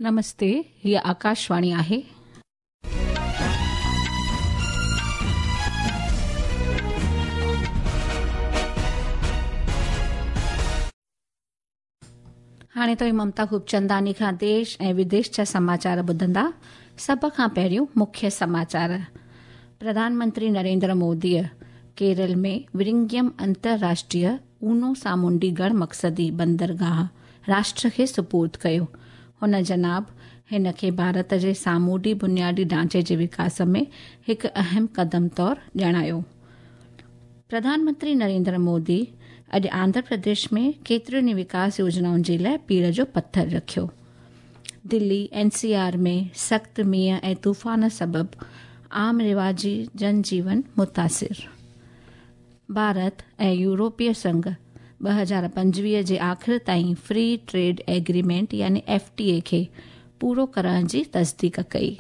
नमस्ते, हीअ आकाशवाणी आहे। हाणे तव्हीं ममता खूबचंदानी खां देश ऐं विदेश जा समाचार ॿुधंदा। सभ खां पहिरियों मुख्य समाचार। प्रधानमंत्री नरेंद्र मोदीअ केरल में विरिंगियम अंतर्राष्ट्रीय ऊनो सामुंडी गण मक़सदी बंदरगाह राष्ट्र खे सुपुर्द कयो। हुन जनाब हिन खे भारत जे सामूंडी बुनियादी ढांचे जे विकास में हिकु अहम क़दम तौरु ॼाणायो। प्रधानमंत्री नरेंद्र मोदी अॼु आंध्र प्रदेश में केतिरियुनि ई विकास योजनाउनि जे लाइ पीड़ जो पथर रखियो। दिल्ली एनसीआर में सख़्तु मींहुं ऐं तूफ़ान सबबि आम रिवाजी जनजीवन मुतासिर। भारत ऐं यूरोपीय संघ 2025 जे आख़िर ताईं फ्री ट्रेड एग्रीमेंट यानी एफटीए खे पूरो करण जी तस्दीक कई।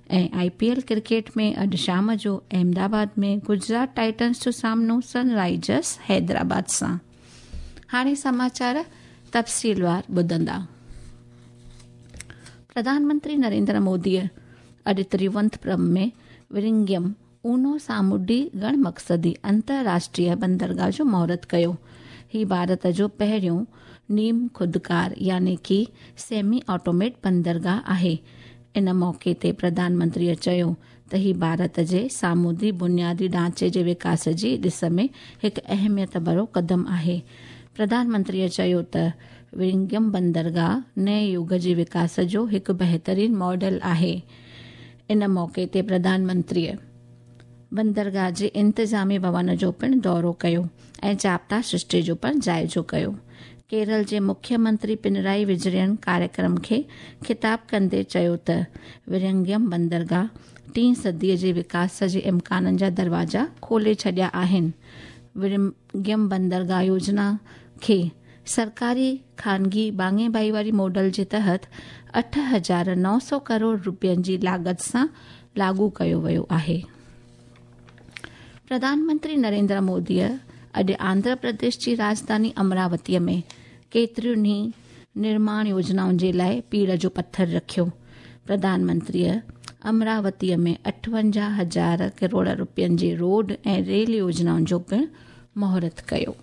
ऐं आईपीएल क्रिकेट में अॼु शाम जो अहमदाबाद में गुजरात टाइटन्स जो सामनो सनराइजर्स हैदराबाद सां। हाणे समाचार तफ़सीलवार ॿुधंदा। प्रधानमंत्री नरेंद्र मोदीअ अॼु तिरुवनंतपुरम में विरिंगियम ऊनो सामुंडी गण मक़सदी अंतर्राष्ट्रीय बंदरगाह जो मुहूर्त कयो। ही भारत जो पहिरियों नीम ख़ुदकार यानी कि सेमी ऑटोमेट बंदरगाह आहे। इन मौक़े ते प्रधानमंत्रीअ चयो त ही भारत जे सामुद्री बुनियादी ढांचे जे विकास जी ॾिस में हिकु अहमियत भरो क़दम आहे। प्रधानमंत्रीअ चयो त विरिंगियम बंदरगाह नए युग जे विकास जो हिकु बहितरीन मॉडल आहे। इन मौक़े ते प्रधानमंत्रीअ बंदरगाह जे इंतिज़ामी भवन जो पिणु दौरो कयो ऐं जाब्ता सृष्टि जो पिणु जाइज़ो कयो। केरल जे मुख्यमंत्री पिनराई विजयन कार्यक्रम खे ख़िताब कंदे चयो त विरिंगियम बंदरगाह टीं सदीअ जे विकास जे इम्काननि जा दरवाज़ा खोले छॾिया आहिनि। विरिंगियम बंदरगाह योजना खे सरकारी ख़ानगी भाङे भाईवारी मॉडल जे तहत 8,900 करोड़ रुपयनि जी लागत सां लागू कयो वियो आहे। प्रधानमंत्री नरेंद्र मोदीअ अॼु आंध्र प्रदेश जी राजधानी अमरावतीअ में केतिरियुनि ई निर्माण योजनाउनि जे लाइ पीड़ जो पथर रखियो। प्रधानमंत्रीअ अमरावतीअ में 58,000 करोड़ रुपयनि जे रोड ऐं रेल योजनाउनि जो पिणु मुहूर्त कयो।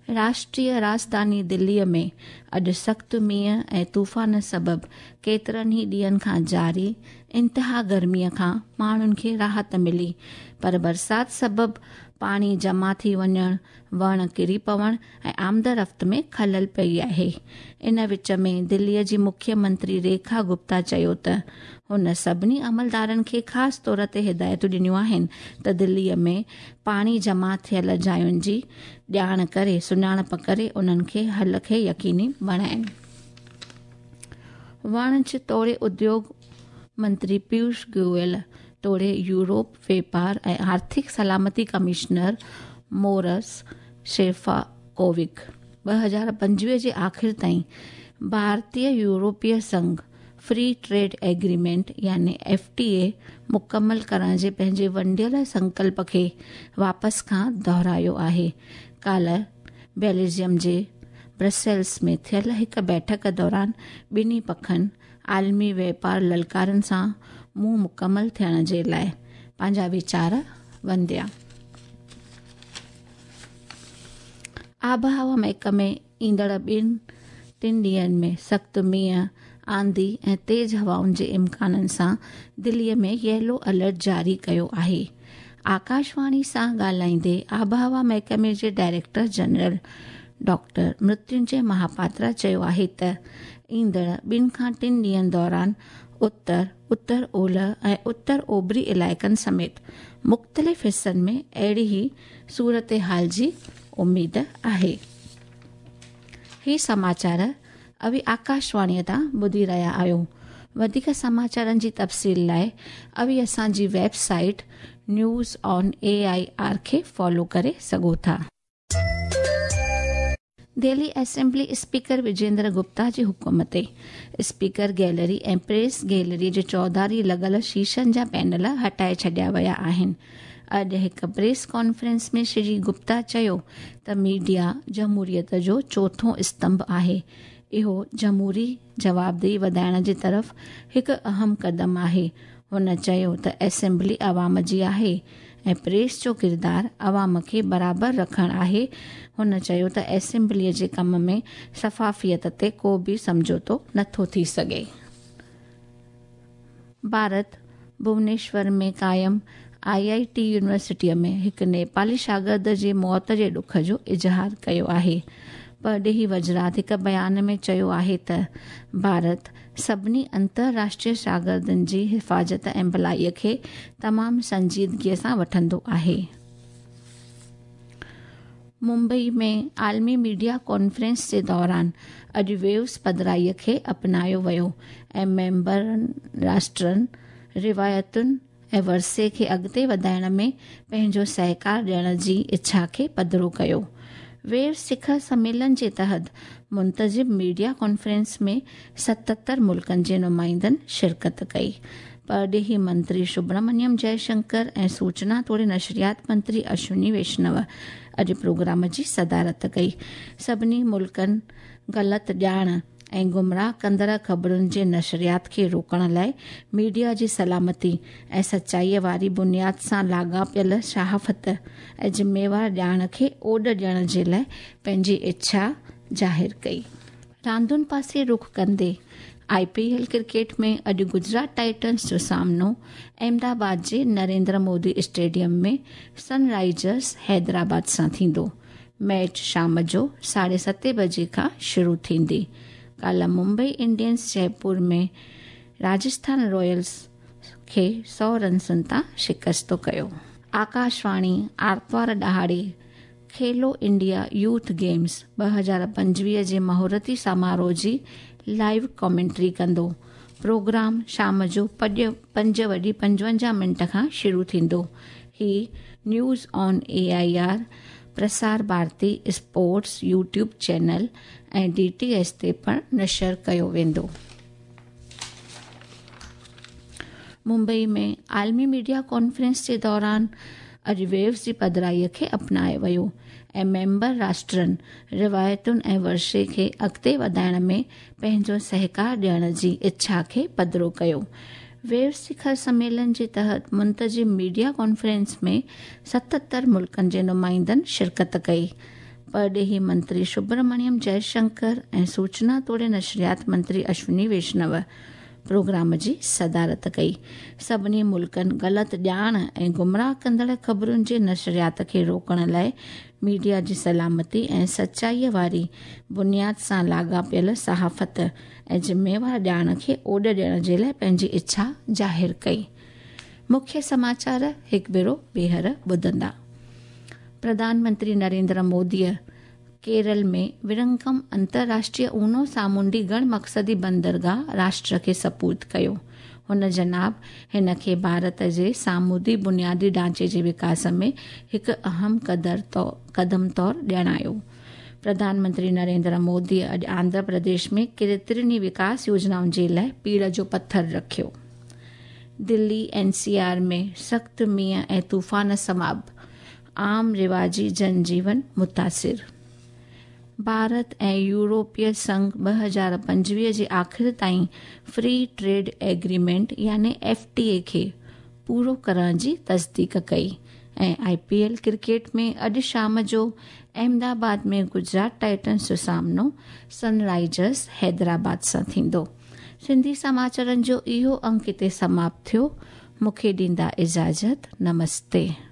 राष्ट्रीय राजधानी दिल्लीअ में अॼु सख़्तु मींहुं ऐं तूफ़ान सबबि केतिरनि ई ॾींहनि खां जारी इंतिहा गर्मीअ खां माण्हुनि खे राहत मिली, पर बरसाति सबबि पाणी जमा थी वञण, वण किरी पवण ऐं आमदरफ़्त में ख़लल पई आहे। इन विच में दिल्लीअ जी मुख्यमंत्री रेखा गुप्ता चयो त हुन सभिनी अमलदारनि खे ख़ासि तौर ते हिदायतूं ॾिनियूं आहिनि त दिल्लीअ में पाणी जमा थियल जायुनि जी ॼाण करे सुञाणप करे उन्हनि खे हल खे यकीनी बणाइनि। वाणिज्य तोड़े उद्योग मंत्री पीयूष गोयल तोड़े यूरोप वेपार ऐं आर्थिक सलामती कमिश्नर मोरस शेफाकोविक 2025 जे आख़िर ताईं भारतीय यूरोपीय संघ फ्री ट्रेड एग्रीमेंट यानी एफटीए मुकमल करण जे पंहिंजे वंडियल संकल्प खे वापसि खां दोहरायो आहे। काल्ह बेल्जियम जे ब्रसेल्स में थियल हिकु बैठक दौरान ॿिन्ही पखनि आलमी वेपार ललकारनि सां मुंहुं मुकमल थियण जे लाइ पंहिंजा वीचार वंदिया। आबहवा महकमे ईंदड़ 2-3 ॾींहनि में सख़्तु मींहुं, आंधी ऐं तेज़ हवाउनि जे इम्काननि सां दिल्लीअ में येलो अलर्ट जारी कयो आहे। आकाशवाणी सां ॻाल्हाईंदे आबहवा महकमे जे director general doctor Mrutyunjay Mohapatra चयो आहे त ईंदड़ 2 खां 3 ॾींहनि दौरान उत्तर, उत्तर ओलह ऐं उत्तर ओभरी इलाइक़नि समेत मुख़्तलिफ़ हिसनि में अहिड़ी ई सूरत हाल जी उमेद आहे। ही समाचार अवी आकाशवाणीअ तां ॿुधी रहिया आहियो। वधीक समाचारनि जी तफ़सील लाइ अवी असांजी वेबसाइट न्यूज़ ऑन AIR खे फॉलो करे सघो था। दिल्ली असेंबली स्पीकर विजेंद्र गुप्ता जे हुकुम ते स्पीकर गैलरी ऐं प्रेस गैलरी जे चौधारी लॻल शीशनि जा पैनल हटाए छॾिया विया आहिनि। अॼु हिकु प्रेस कॉन्फ्रेंस में श्री गुप्ता चयो त मीडिया जमहूरियत जो चोथों स्तंभ आहे। اهو جمهوري جوابدهي وڌائڻ جي طرف هڪ اهم قدم آهي. هن چيو ته اسيمبلي عوام جي آهي ۽ پريس جو ڪردار عوام کي برابر رکڻ آهي. هن چيو ته اسيمبلي جي ڪم ۾ شفافيت تي ڪو به سمجهوتو نٿو ٿي سگهي. ڀارت ڀونيشور ۾ قائم I I ٽي يونيورسٽيء ۾ هڪ نيپالي شاگرد جي موت جي ڏک جو اظهار ڪيو آهي. پرڏيهي وزارت هڪ بيان ۾ چيو آهي ته ڀارت سڀني انترراشٽريه شاگردن جي حفاظت ۽ ڀلائي کي تمام سنجيدگيء سان وٺندو آهي. ممبئي ۾ عالمي ميڊيا ڪانفرنس جي دوران اڄ ويوز پڌرائي کي اپنايو ويو ۽ ميمبر راشٽرن روايتن ۽ ورثي کي اڳتي وڌائڻ ۾ پنهنجو سهڪار ڏيڻ جي اڇا کي پڌرو ڪيو. ويوز شکر سميلن جي تحت منتظم ميڊيا ڪانفرنس ۾ 77 ملڪن جي نمائندن شرڪت ڪئي. پرڏيهي منتري سبرامنيم جئشنڪر ۽ سوچنا توڙي نشريات منتري اشوني ويشنو اڄ پروگرام جي صدارت ڪئي. سڀني ملڪن غلط ڄاڻ ۽ گمراهه ڪندڙ خبرن جي نشريات کي روڪڻ لاءِ ميڊيا جي سلامتي ۽ سچائي واري بنياد سان لاڳاپيل صحافت ۽ ذميوار ڄاڻ کي اوڏ ڏيڻ جي لاءِ پنهنجي اڇا ظاهر ڪئي. راندن پاسي رخ ڪندي I P L cricket ۾ اڄ گجرات ٽائٽنز جو سامنو احمدآباد جي نريندر مودي اسٽيڊيم ۾ سن رائزرس حيدرآباد سان ٿيندو. ميچ شام جو 7:30 بجي کان شروع ٿيندي. ڪالهه ممبئي انڊينز جئپور ۾ راجسٿان رائلز کي 100 رنسن تان شڪست ڪيو. آڪاشواڻي آرتوار ڏهاڙي کيلو انڊيا يوٿ گيمز 2025 جي مهورتي سماروهه جي لائيو ڪمينٽري ڪندو. پروگرام شام جو 5:55 کان شروع ٿيندو. هي news on A I R, Prasar Bharati sports YouTube channel ۽ D T H تي پڻ نشر ڪيو ويندو. ممبئي ۾ عالمي ميڊيا ڪانفرنس جي دوران اڄ ويوز جي پڌرائي کي اپنايو ويو ۽ ميمبر راشٽرن روايتن ۽ ورثي کي اڳتي وڌائڻ ۾ پنهنجو سهڪار ڏيڻ جي اڇا کي پڌرو ڪيو. ويوز شکر سميلن جي تحت منتظم ميڊيا ڪانفرنس ۾ 77 ملڪن جي نمائندن شرڪت ڪئي. پرڏيهي منتري سبرامنيم جئشنڪر ۽ سوچنا توڙي نشريات منتري اشوني ويشنو پروگرام جي صدارت ڪئي. سڀني ملڪن غلط ڄاڻ ۽ گمراهه ڪندڙ خبرن جي نشريات کي روڪڻ لاءِ ميڊيا جي سلامتي ۽ سچائي واري بنياد سان لاڳاپيل صحافت ۽ ذميوار ڄاڻ کي اوڏ ڏيڻ جي لاءِ پنهنجي اڇا ظاهر ڪئي. مکيه سماچار هڪ ڀيرو ٻيهر ٻڌندا. پرڌان منتري نريندر موديءَ ڪيرل ۾ ورنگم انترراشٽريه اونهو سامونڊي گڻ مقصدي بندرگاهه راشٽر کي سپرد ڪيو. هن جناب هن کي ڀارت جي سامونڊي بنيادي ڍانچي جي وڪاس ۾ هڪ اهم قدم طور ڄاڻايو. پرڌان منتري نريندر موديءَ اڄ آنڌرا پرديش ۾ ڪيترين ئي وڪاس يوجنائن جي لاءِ پيڙهه جو پٿر رکيو. دلي اين سي آر ۾ سخت مينهن ۽ طوفان سبب عام رواجي جنجيون متاثر. ڀارت ۽ يورپي سنگهه 2025 جي آخر تائين فري ٽريڊ ايگريمينٽ يعني ايف ٽي اي کي پورو ڪرڻ جي تصديق ڪئي. ۽ I P L cricket ۾ اڄ شام جو احمدآباد ۾ گجرات ٽائٽنز جو سامنو سن رائزرس حيدرآباد سان ٿيندو. سنڌي سماچارن جو اهو انڪ هتي سماپت ٿيو. مون کي ڏيندا اجازت. نمستي.